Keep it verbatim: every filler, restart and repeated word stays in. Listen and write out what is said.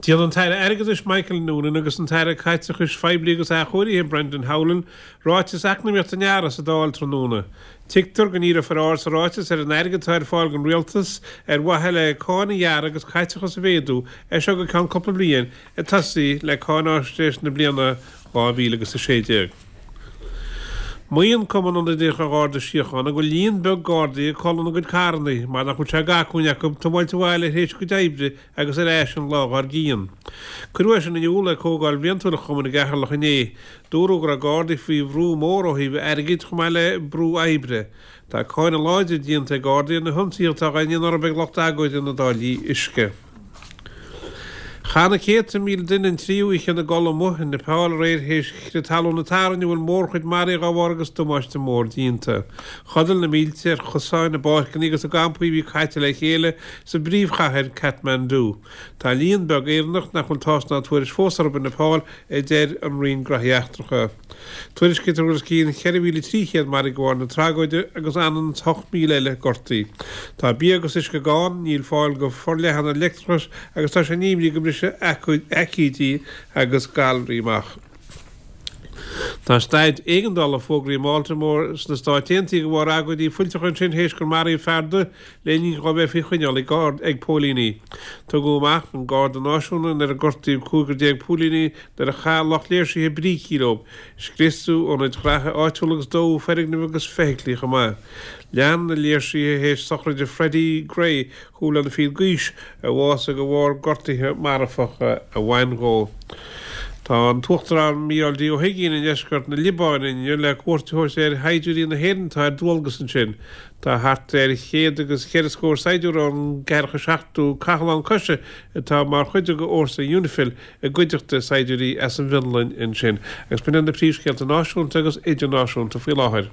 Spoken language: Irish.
Déanfaidh an tAire Airgeadais Michael Noonan agus an tAire Caiteachais Phoiblí agus Athchóirithe Brendan Howlin ráiteas eacnamaíochta an earraigh sa Dáil tráthnóna. Tuigtear go ndíreofar aird sa ráiteas ar an airgead atá ar fáil don rialtas ar mhaithe le cáin a ghearradh agus caiteachas a mhéadú as seo go ceann cúpla bliain ag tosaí le cáinaisnéis na bliana dhá mhíle agus a sé déag. Maíonn Cumann Ionadaíoch an Gharda Síochána go bhfuil líon beag Gardaí ag codladh ina gcuid carranna mar nach bhfuil sé d'acmhainn acu tiomáint abhaile tar éis a gcuid oibre agus ar ais an lá dhár gcionn. Cuireadh é sin in iúl ag comhdháil bhliantúil an chumainn i gCeatharlach inné. Dúradh go raibh Gardaí faoi bhrú mór ó thaobh airgid chomh maith le brú oibre. Tá cáineadh láidir déanta ag Gardaí ar na hionsaithe atá á ndéanamh orthu ag lucht agóide na dtáillí uisce. Chaith na céadta míle duine an tríú oíche ina gcodladh amuigh i Neipeal aréir théis crith talún a tarraing a bhfuil mórchuid maraithe dá bharr agus damáiste mór déanta. Chodail na mílte ar chosáin, i bpáirceanna agus i gcampaí a bhí caite le chéile sa bpríomhchathair Kathmandu. Tá líon beag Éireannach nach bhfuil tásc ná tuairisc fós orthu i Neipeal, a deir an Roinn Graithí Eachtracha. Tuairiscítear go bhfuil os cionn cheithre mhíle trí chéad maraithe de bharr na tragóide agus anonn is ocht míle eile gortaithe. Tá bia agus uisce gann, níl fáil go forleathan ar leictreachas agus tá sé in imní go mbrisfidh aicídí agus galraí amach. Tá staid éigeandála fógraithe i mBaltimore sna Stáit Aontaithe de bharr agóidí fuilteacha ansin théis gur maraíodh fear dubh le linn dhó bheith faoi choinneáil ag ag póilíní. Tugadh amach an Garda Náisiúnta nuair a gortaíodh cúigear déag póilíní nuair a chaith lucht léirsithe brící leo. Scriosadh ionaid ghraithe áitiúla agus dódh foirgnimh agus feithiclí chomh maith. Lean na léirsithe théis sochraide Freddie Gray, chúig bliana fichead d'aois, a bhásaigh de bharr gortuithe marfacha a bhain dhó. Tá an tUachtarán Mícheál D. Ó hUigínn i ndeisceart na Liobáine inniu le cuairt a thabhairt ar shaighdiúirí na hÉireann atá ar dualgas ansin. Tá thart ar chéad agus cheithre scór saighdiúir ón gceathracha seachtú Cathlán Coise atá mar chuid de fhórsa UNIFIL i gcuideachta saighdiúirí as an bhFionlainn ansin. Agus b'in iad na príomhscéalta náisiúnta agus idirnáisiúnta faoi láthair.